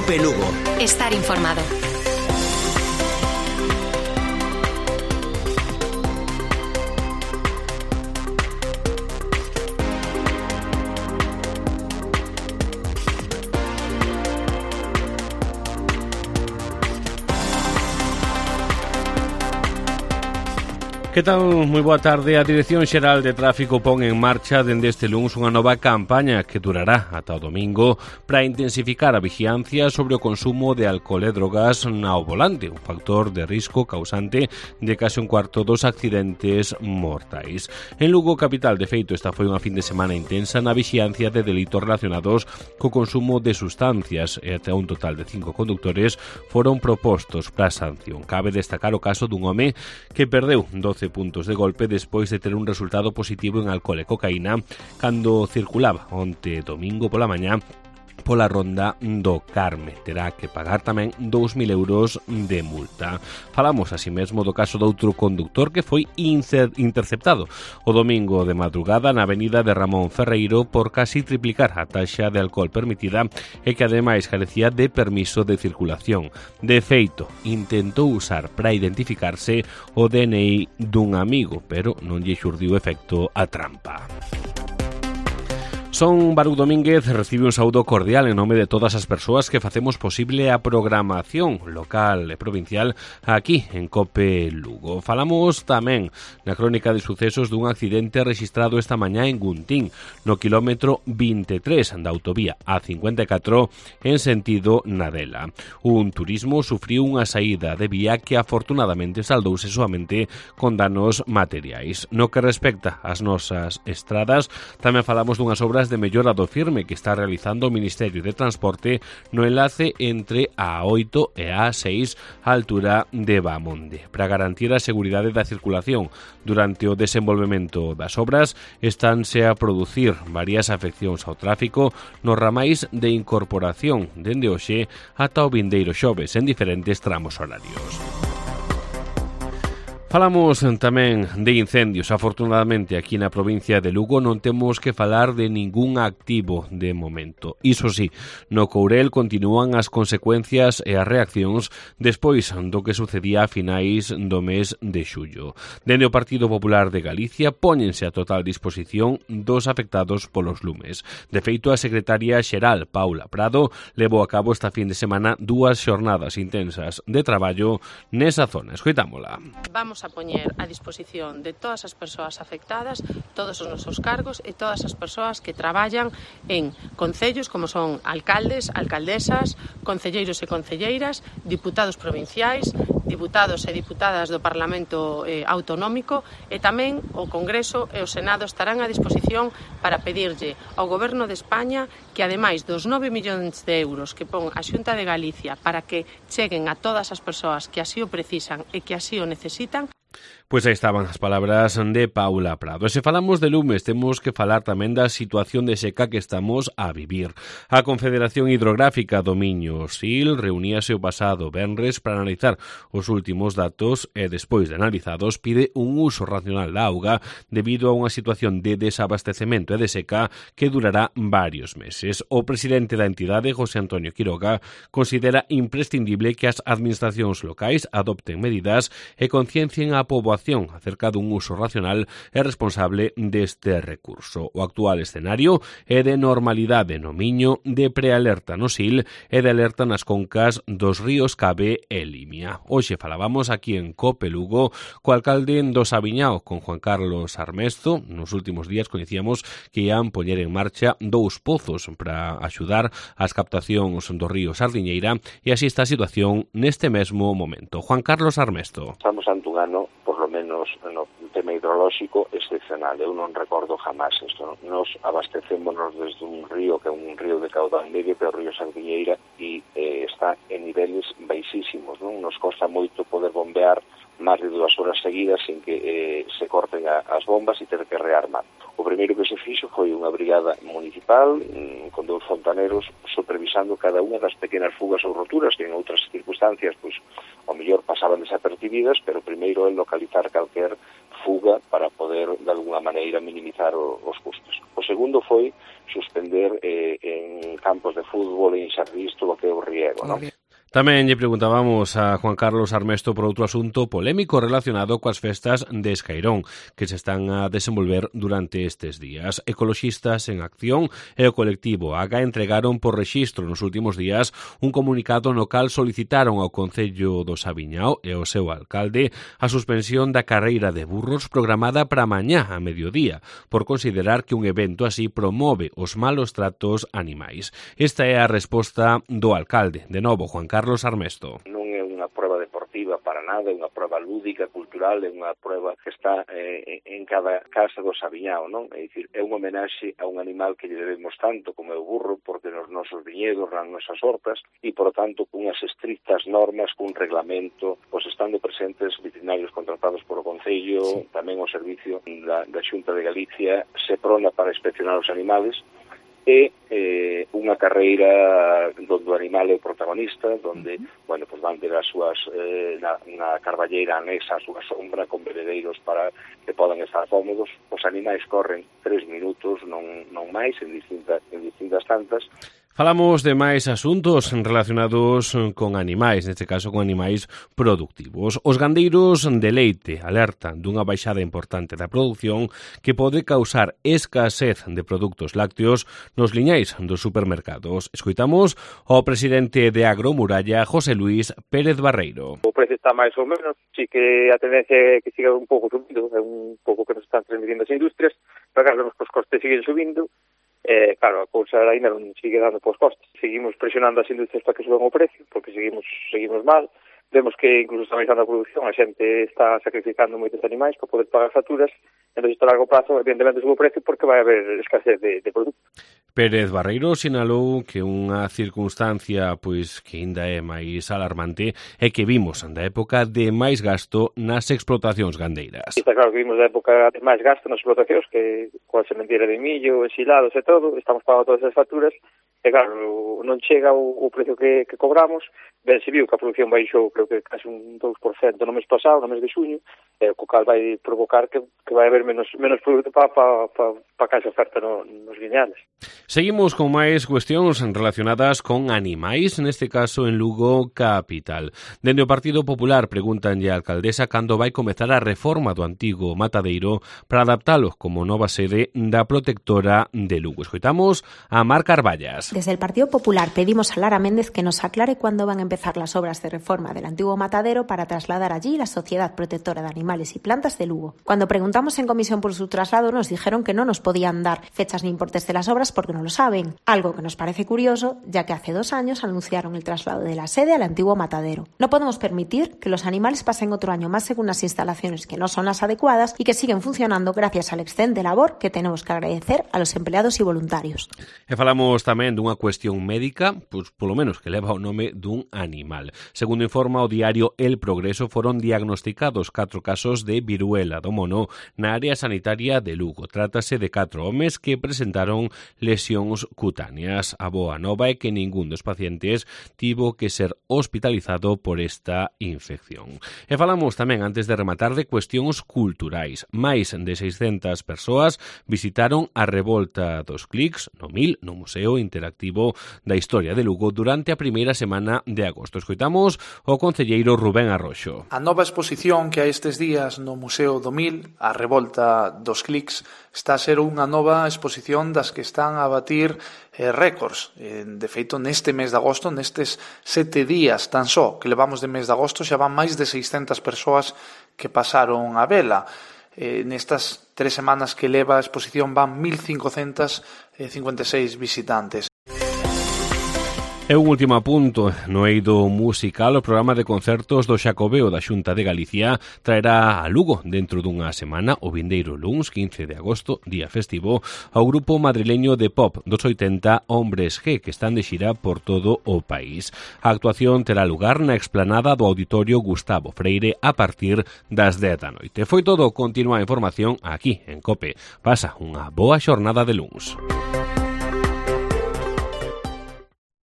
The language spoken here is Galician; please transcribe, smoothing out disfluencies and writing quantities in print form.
COPE Lugo. Estar informado. Que tal? Moi boa tarde. A Dirección Xeral de Tráfico pon en marcha dende este luns unha nova campaña que durará ata o domingo para intensificar a vigilancia sobre o consumo de alcohol e drogas ao volante, un factor de risco causante de case un cuarto dos accidentes mortais. En Lugo capital, de feito, esta foi unha fin de semana intensa na vigilancia de delitos relacionados co consumo de sustancias e até un total de 5 condutores foron propostos para a sanción. Cabe destacar o caso dun home que perdeu 12 puntos de golpe despois de ter un resultado positivo en alcohol e cocaína cando circulaba onte domingo pola mañá pola ronda do Carme. Terá que pagar tamén 2.000 euros de multa. Falamos así mesmo do caso de outro conductor que foi interceptado o domingo de madrugada na avenida de Ramón Ferreiro por casi triplicar a taxa de alcohol permitida e que ademais carecía de permiso de circulación. De feito, intentou usar para identificarse o DNI dun amigo, pero non lle xurdiu efecto a trampa. Son Baruch Domínguez recibe un saúdo cordial en nome de todas as persoas que facemos posible a programación local e provincial aquí en COPE Lugo. Falamos tamén na crónica de sucesos dun accidente rexistrado esta mañá en Guntín, no quilómetro 23 da autovía A54 en sentido Nadela. Un turismo sufriu unha saída de vía que afortunadamente saldouse soamente con danos materiais. No que respecta ás nosas estradas, tamén falamos dunhas obras de mellora do firme que está realizando o Ministerio de Transporte no enlace entre a A8 e a A6 á altura de Bamonde. Para garantir a seguridade da circulación durante o desenvolvemento das obras, estánse a producir varias afeccións ao tráfico nos ramais de incorporación dende hoxe ata o vindeiro xoves en diferentes tramos horarios. Falamos tamén de incendios. Afortunadamente, aquí na provincia de Lugo non temos que falar de ningún activo de momento. Iso sí, no Courel continúan as consecuencias e as reaccións despois do que sucedía a finais do mes de xullo. Dende o Partido Popular de Galicia póñense a total disposición dos afectados polos lumes. De feito, a secretaria xeral, Paula Prado, levou a cabo esta fin de semana 2 xornadas intensas de traballo nesa zona. Escoitámola. Vamos a poñer a disposición de todas as persoas afectadas, todos os nosos cargos e todas as persoas que traballan en concellos como son alcaldes, alcaldesas, concelleiros e concelleiras, diputados provinciais, diputados e diputadas do Parlamento Autonómico e tamén o Congreso e o Senado estarán a disposición para pedirlle ao Goberno de España que ademais dos 9 millóns de euros que pon a Xunta de Galicia para que cheguen a todas as persoas que así o precisan e que así o necesitan. Pois aí estaban as palabras de Paula Prado. E se falamos de lumes, temos que falar tamén da situación de seca que estamos a vivir. A Confederación Hidrográfica do Miño-Sil reuníase o pasado venres para analizar os últimos datos e, despois de analizados, pide un uso racional da auga debido a unha situación de desabastecemento e de seca que durará varios meses. O presidente da entidade, José Antonio Quiroga, considera imprescindible que as administracións locais adopten medidas e conciencien a poboación acerca dun uso racional e responsable deste recurso. O actual escenario é de normalidade no Miño, de prealerta no Sil e de alerta nas concas dos ríos Cabe e Limia. Hoxe falábamos aquí en COPE Lugo co alcalde do Sabiñao, con Juan Carlos Armesto. Nos últimos días coñecíamos que ian poñer en marcha 2 pozos para axudar as captacións do río Sardiñeira e así está a situación neste mesmo momento. Juan Carlos Armesto. Estamos ante un ano, por lo menos no tema hidrolóxico, excepcional. Eu non recordo jamás isto. Nos abastecémonos desde un río que é un río de caudal medio, que é o río Sardiñeira, e está en niveles baixísimos, non? Nos costa moito poder bombear máis de 2 horas seguidas sin que se corten as bombas e ter que rearmar. O primeiro que se fixo foi unha brigada municipal con 2 fontaneros supervisando cada unha das pequenas fugas ou roturas que en outras circunstancias pois ao mellor pasaban desapercibidas, pero primeiro é localizar calquer fuga para poder, de alguna maneira, minimizar os custos. O segundo foi suspender en campos de fútbol e en xardís todo o que é o riego, non? Tamén lle preguntábamos a Juan Carlos Armesto por outro asunto polémico relacionado coas festas de Escairón que se están a desenvolver durante estes días. Ecoloxistas en Acción e o colectivo AGA entregaron por rexistro nos últimos días un comunicado no cal solicitaron ao Concello do Sabiñao e ao seu alcalde a suspensión da carreira de burros programada para mañá a mediodía por considerar que un evento así promove os malos tratos animais. Esta é a resposta do alcalde. De novo, Juan Carlos Armesto. Non é unha proba deportiva para nada, é unha proba lúdica, cultural, é unha proba que está en cada casa do Sabiñao, non? É dicir, é unha homenaxe a un animal que lle debemos tanto como é o burro, porque nos nosos viñedos, nas nosas hortas, e, por tanto, cunhas estrictas normas, cun reglamento, pois estando presentes veterinarios contratados por o Concello, tamén o servicio da Xunta de Galicia, SEPRONA para inspeccionar os animales, e unha carreira onde o animal é o protagonista, onde, bueno, pues van ter as súas na carballeira anexa a súa sombra con bebedeiros para que podan estar cómodos. Os animais corren 3 minutos, non máis, en distintas tantas. Falamos de máis asuntos relacionados con animais, neste caso con animais productivos. Os gandeiros de leite alertan dunha baixada importante da produción que pode causar escasez de produtos lácteos nos liñais dos supermercados. Escoitamos ao presidente de Agromuralla, José Luis Pérez Barreiro. O precio está máis ou menos, sí que a tendencia é que siga un pouco subindo, é un pouco que nos están transmitindo as industrias, pero claro, os costes siguen subindo. Claro, a cousa ainda non sigue dando pos costes. Seguimos presionando as industrias para que suban o precio, porque seguimos mal. Vemos que incluso está baixando a produción, a xente está sacrificando moitos animais para poder pagar facturas, entón isto a largo prazo evidentemente sube o precio porque vai haber escasez de produto. Pérez Barreiro sinalou que unha circunstancia pois que ainda é máis alarmante é que vimos da época de máis gasto nas explotacións gandeiras. Está claro que vimos da época de máis gasto nas explotacións, que coa sementeira de millo, ensilados e todo, estamos pagando todas as facturas, e claro, non chega o precio que cobramos. Ben se viu que a produción baixou, creo que casi un 2% no mes pasado, no mes de xuño, co cal vai provocar que vai haber menos produto para que se oferta nos liñales. Seguimos con máis cuestións relacionadas con animais, neste caso en Lugo capital. Dende o Partido Popular preguntanlle á alcaldesa cando vai comezar a reforma do antigo matadeiro para adaptalo como nova sede da protectora de Lugo. Escoitamos a Mar Carballas. Desde el Partido Popular pedimos a Lara Méndez que nos aclare cuándo van a empezar las obras de reforma del antiguo matadero para trasladar allí la Sociedad Protectora de Animales y Plantas de Lugo. Cuando preguntamos en comisión por su traslado nos dijeron que no nos podían dar fechas ni importes de las obras porque no lo saben, algo que nos parece curioso ya que hace 2 años anunciaron el traslado de la sede al antiguo matadero. No podemos permitir que los animales pasen otro año más en unas instalaciones que no son las adecuadas y que siguen funcionando gracias al excelente labor que tenemos que agradecer a los empleados y voluntarios. E falamos tamén dunha cuestión médica, pois polo menos que leva o nome dun animal. Segundo informa o diario El Progreso, foron diagnosticados 4 casos de viruela do mono na área sanitaria de Lugo. Trátase de 4 homes que presentaron lesións cutáneas. A boa nova é que ningún dos pacientes tivo que ser hospitalizado por esta infección. E falamos tamén, antes de rematar, de cuestións culturais. Máis de 600 persoas visitaron a Revolta dos Clics no MIL, no Museo Interactivo da Historia de Lugo, durante a primeira semana de agosto. Escoitamos o concelleiro Rubén Arroxo. A nova exposición que hai estes días no Museo do MIL, a Revolta dos Clics, está a ser unha nova exposición das que están a batir récords. De feito, neste mes de agosto, nestes 7 días tan só que levamos de mes de agosto, xa van máis de 600 persoas que pasaron a vela. Nestas 3 semanas que leva a exposición van 1.556 visitantes. E un último apunto, no eido musical, o programa de concertos do Xacobeo da Xunta de Galicia traerá a Lugo dentro dunha semana, o vindeiro luns 15 de agosto, día festivo, ao grupo madrileño de pop dos 80 Hombres G, que están de xira por todo o país. A actuación terá lugar na explanada do Auditorio Gustavo Freire a partir das 10 da noite. Foi todo, continúa a información aquí en COPE. Pasa unha boa xornada de luns.